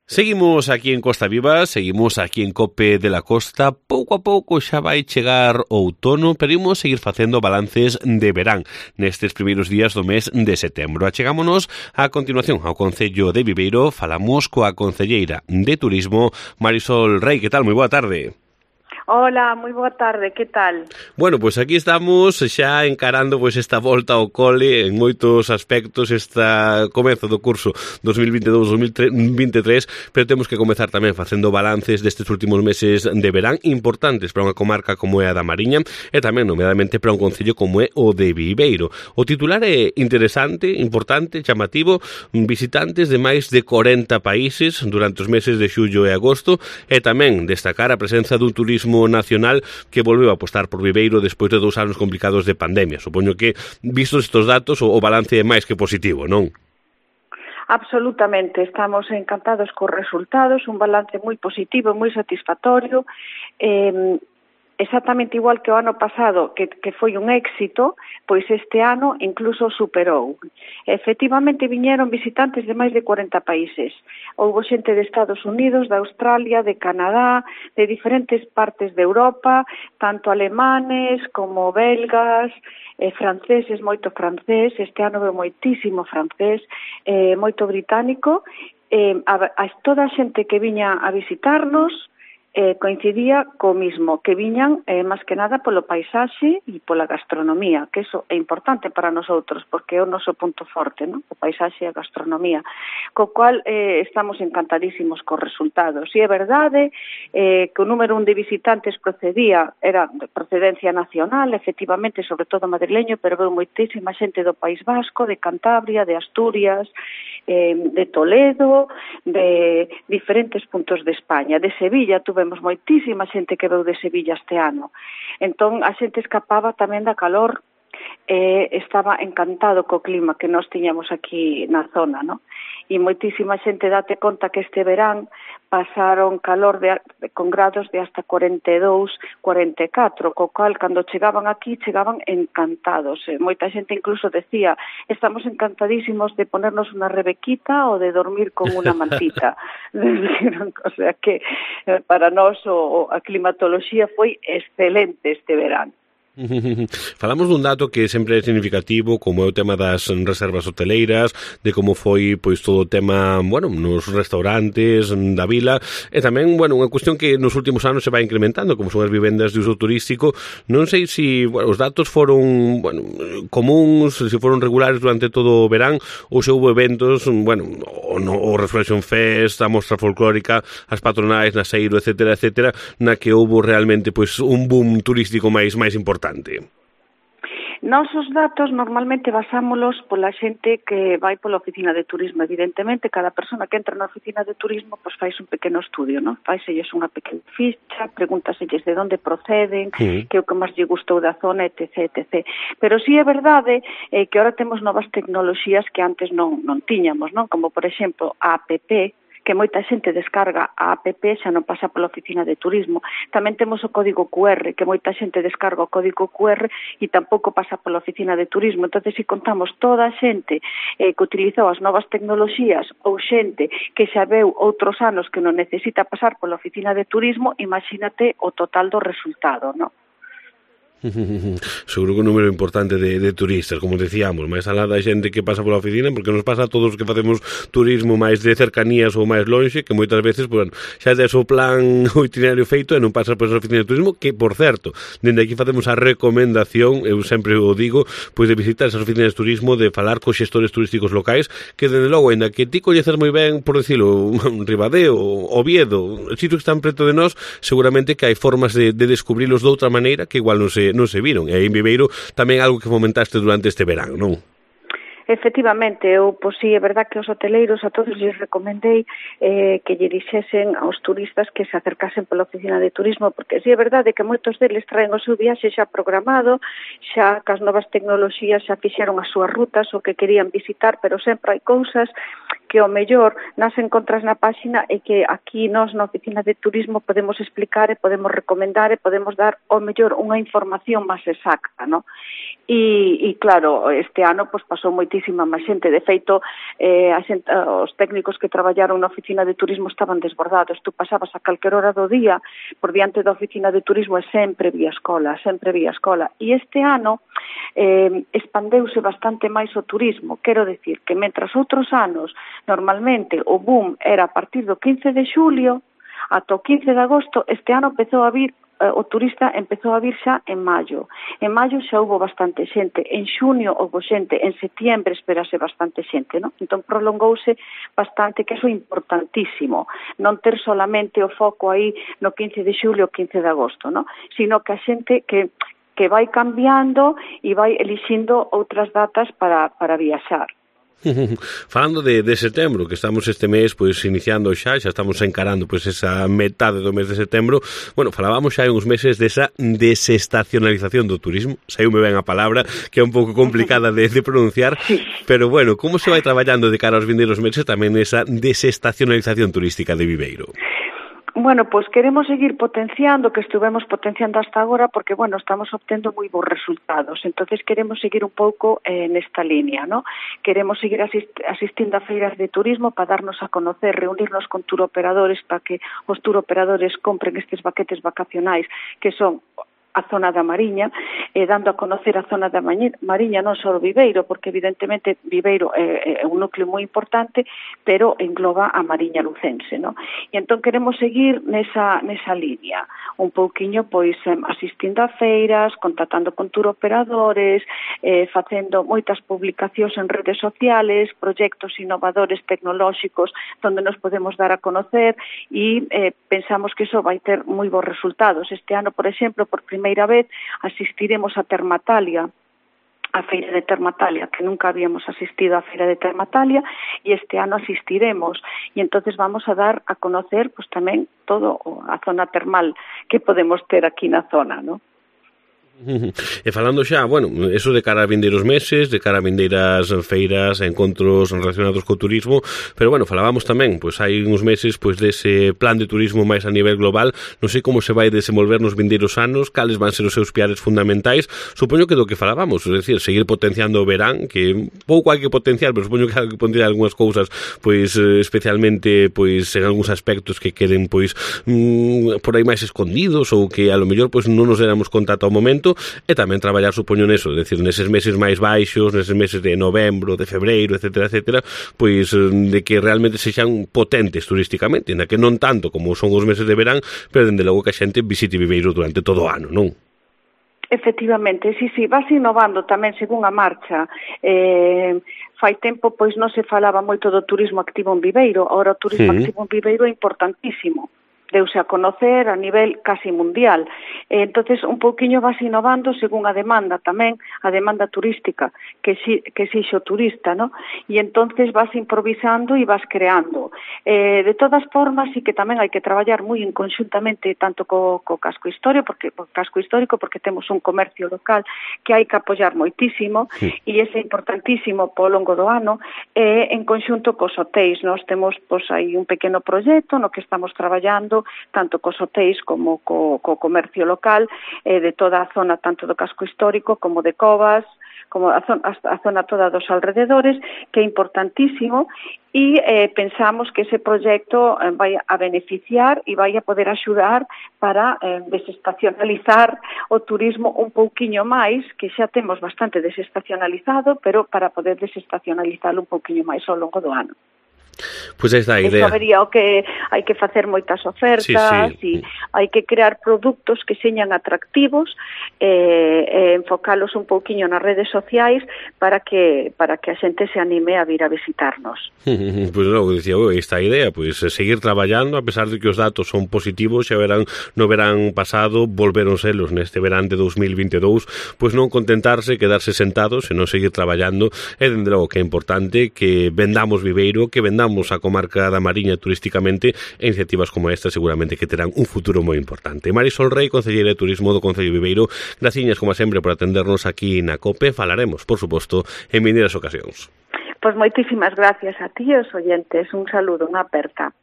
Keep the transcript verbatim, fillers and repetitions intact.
Seguimos aquí en Costa Viva, seguimos aquí en Cope de la Costa. Pouco a pouco xa vai chegar o outono, pero imos seguir facendo balances de verán nestes primeiros días do mes de setembro. Achegámonos a continuación ao Concello de Viveiro, falamos coa concelleira de Turismo, Marisol Rei. Que tal? Moi boa tarde. Hola, moi boa tarde, que tal? Bueno, pois pues aquí estamos xa encarando pois esta volta ao cole en moitos aspectos, esta comezo do curso dos mil veintidós dos mil veintitrés, pero temos que comezar tamén facendo balances destes últimos meses de verán importantes para unha comarca como é a da Mariña e tamén, nomeadamente, para un concello como é o de Viveiro. O titular é interesante, importante, chamativo, visitantes de máis de corenta países durante os meses de xullo e agosto, e tamén destacar a presenza dun turismo nacional que volveu a apostar por Viveiro despois de dous anos complicados de pandemia. Supoño que, vistos estes datos, o, o balance é máis que positivo, non? Absolutamente, estamos encantados cos resultados, un balance moi positivo, moi satisfactorio, eh, exactamente igual que o ano pasado, que, que foi un éxito, pois este ano incluso superou. Efectivamente, viñeron visitantes de máis de corenta países. Houbo xente de Estados Unidos, de Australia, de Canadá, de diferentes partes de Europa, tanto alemanes como belgas, eh, franceses, moito francés, este ano veo moitísimo francés, eh, moito británico, eh, a, a toda a xente que viña a visitarnos, Eh, coincidía co mismo, que viñan eh, máis que nada polo paisaxe e pola gastronomía, que eso é importante para nosotros, porque é o noso punto forte, ¿no? O paisaxe e a gastronomía, co cual eh, estamos encantadísimos cos resultados. E é verdade eh, que o número un de visitantes procedía, era de procedencia nacional, efectivamente, sobre todo madrileño, pero veu moitísima xente do País Vasco, de Cantabria, de Asturias, eh, de Toledo, de diferentes puntos de España. De Sevilla tuvemos moitísima xente que veu de Sevilla este ano. Entón, a xente escapaba tamén da calor, eh, estaba encantado co clima que nós tiñamos aquí na zona, ¿no? E moitísima xente, date conta que este verán pasaron calor de, con grados de hasta cuarenta e dous, cuarenta e catro, co cal, cando chegaban aquí, chegaban encantados. Eh, moita xente incluso decía, estamos encantadísimos de ponernos unha rebequita ou de dormir con unha mantita. O sea que eh, para nós o, a climatoloxía foi excelente este verán. Falamos dun dato que sempre é significativo, como é o tema das reservas hoteleiras, de como foi pois todo o tema, bueno, nos restaurantes da vila, e tamén, bueno, unha cuestión que nos últimos anos se vai incrementando, como son as vivendas de uso turístico. Non sei se, bueno, os datos foron, bueno, comuns, se foron regulares durante todo o verán, ou se houve eventos, bueno, o, no, o Resurrection Fest, a mostra folclórica, as patronais, Naseiro, etcétera, etcétera, na que houve realmente pois un boom turístico máis máis importante. Nos os datos normalmente basámolos pola xente que vai pola oficina de turismo. Evidentemente, cada persona que entra na oficina de turismo pois fais un pequeno estudio, non? Faiselles unha pequena ficha, pregúntaselles de onde proceden, sí, que é o que máis lle gustou da zona, etc, etcétera. Pero sí é verdade eh, que agora temos novas tecnoloxías que antes non, non tiñamos, non? Como, por exemplo, a app, que moita xente descarga a app, xa non pasa pola oficina de turismo. Tamén temos o código cu erre, que moita xente descarga o código cu erre e tampouco pasa pola oficina de turismo. Entón, se contamos toda a xente eh, que utilizou as novas tecnoloxías ou xente que xa veu outros anos que non necesita pasar pola oficina de turismo, imagínate o total do resultado, non? Seguro que un número importante de, de turistas, como decíamos, máis alá da xente que pasa pola oficina, porque nos pasa a todos os que facemos turismo máis de cercanías ou máis lonxe, que moitas veces, bueno, xa tes o plan, o itinerario feito e non pasas por esa oficina de turismo, que, por certo, dende aquí facemos a recomendación, eu sempre o digo, pois de visitar esas oficinas de turismo, de falar cos xestores turísticos locais, que, dende logo, ainda que ti coñeces moi ben, por decirlo, Ribadeo, Oviedo, sitios que están preto de nós, seguramente que hai formas de, de descubrilos de outra maneira que igual non se non se viron, e aí en Viveiro tamén algo que fomentaste durante este verán, non? Efectivamente, eu, pois sí, é verdad que os hoteleiros a todos lles recomendei eh, que lle dixesen aos turistas que se acercasen pola oficina de turismo, porque sí é verdade que moitos deles traen o seu viaxe xa programado, xa cas novas tecnoloxías xa fixeron as súas rutas, o que querían visitar, pero sempre hai cousas que o mellor nas encontras na páxina e que aquí nós na oficina de turismo podemos explicar e podemos recomendar e podemos dar o mellor unha información máis exacta, ¿no? E, e claro, este ano pues, pasou moitísimo moitísima máis xente. De feito, eh, a xente, os técnicos que traballaron na oficina de turismo estaban desbordados. Tú pasabas a calquer hora do día por diante da oficina de turismo e sempre vía escola, sempre vía escola. E este ano eh, expandeuse bastante máis o turismo. Quero decir que, mentras outros anos, normalmente o boom era a partir do quince de xulio ata o quince de agosto, este ano empezou a vir o turista empezou a vir xa en maio. En maio xa houve bastante xente, en xunio houve xente, en setiembre esperase bastante xente, non? Entón prolongouse bastante, que iso é importantísimo, non ter solamente o foco aí no quince de xulio o quince de agosto, non? Sino que a xente que que vai cambiando e vai elixindo outras datas para, para viaxar. Falando de, de setembro, que estamos este mes pois iniciando xa, xa estamos encarando pois esa metade do mes de setembro. Bueno, falábamos xa en uns meses desa desestacionalización do turismo. Saiume ben a palabra, que é un pouco complicada de, de pronunciar, pero bueno, como se vai traballando de cara aos vindeiros meses tamén esa desestacionalización turística de Viveiro? Bueno, pois queremos seguir potenciando, que estuvemos potenciando hasta agora, porque, bueno, estamos obtendo moi bons resultados. Entonces queremos seguir un pouco eh, nesta línea, ¿no? Queremos seguir asist asistindo a feiras de turismo para darnos a conocer, reunirnos con turoperadores para que os turoperadores compren estes paquetes vacacionais que son a zona da Mariña, eh, dando a conocer a zona da Mariña, non só Viveiro, porque evidentemente Viveiro é, é un núcleo moi importante, pero engloba a Mariña lucense, non? E entón queremos seguir nesa, nesa línea, un pouquiño pois asistindo a feiras, contactando con turoperadores, eh, facendo moitas publicacións en redes sociales, proxectos innovadores tecnolóxicos onde nos podemos dar a conocer e eh, pensamos que iso vai ter moi bons resultados. Este ano, por exemplo, por primeira primeira vez asistiremos a Termatalia, a Feira de Termatalia, que nunca habíamos asistido a Feira de Termatalia, e este ano asistiremos, e entonces vamos a dar a conocer pues, tamén todo a zona termal que podemos ter aquí na zona, ¿no? E falando xa, bueno, eso de cara a vindeiros meses, de cara a vindeiras feiras, encontros relacionados co turismo, pero bueno, falábamos tamén, pois hai uns meses pois dese plan de turismo máis a nivel global. Non sei como se vai desenvolver nos vindeiros anos, cales van ser os seus piares fundamentais. Supoño que do que falábamos, é dicir, seguir potenciando o verán, que pouco hai que potenciar, pero supoño que hai que potenciar algunhas cousas, pois especialmente pois en algúns aspectos que queden pois mmm, por aí máis escondidos ou que a lo mellor pois non nos éramos conta ata o momento. E tamén traballar, supoño, neso, é dicir, neses meses máis baixos, neses meses de novembro, de febreiro, etcétera, etcétera, pois de que realmente sexan potentes turísticamente, na que non tanto como son os meses de verán, pero dende logo que a xente visite Viveiro durante todo o ano, non? Efectivamente, sí, sí, vas innovando tamén según a marcha. Eh, fai tempo, pois, non se falaba moito do turismo activo en Viveiro, agora o turismo sí. activo en Viveiro é importantísimo. Deuse a conocer a nivel casi mundial. Eh, entonces un pouquiño vas innovando según a demanda tamén, a demanda turística que si, que xixo turista, ¿no? E entonces vas improvisando e vas creando. Eh, de todas formas, sí que tamén hai que traballar moi en conxuntamente tanto co, co casco histórico, porque co casco histórico porque temos un comercio local que hai que apoiar moitísimo sí. e ese é importantísimo po longo do ano, e eh, en conxunto cos hotéis. Nós temos pois aí un pequeno proxecto no que estamos traballando tanto cos hotéis como co, co comercio local eh, de toda a zona, tanto do casco histórico como de Covas, como a zona, a zona toda dos alrededores, que é importantísimo, e eh, pensamos que ese proxecto eh, vai a beneficiar e vai a poder axudar para eh, desestacionalizar o turismo un pouquiño máis, que xa temos bastante desestacionalizado, pero para poder desestacionalizarlo un pouquiño máis ao longo do ano. Pois pues esta a idea. Eso vería o que hai que facer moitas ofertas, sí, sí. e hai que crear produtos que señan atractivos, eh, eh, enfocalos un pouquiño nas redes sociais para que para que a xente se anime a vir a visitarnos. Pois pues logo dicía, oh, esta idea, pois pues, seguir traballando, a pesar de que os datos son positivos, xa verán no verán pasado, volveron selos neste verán de dos mil veintidous, pois pues non contentarse, quedarse sentados, senón seguir traballando, e dende logo que é importante que vendamos Viveiro, que vendamos a comarca da Mariña turísticamente, e iniciativas como esta seguramente que terán un futuro moi importante. Marisol Rei, concelleira de Turismo do Concello de Viveiro, graciñas como sempre por atendernos aquí na COPE. Falaremos, por suposto, en vindeiras ocasións. Pois moitísimas gracias a ti e aos oyentes. Un saludo, unha aperta.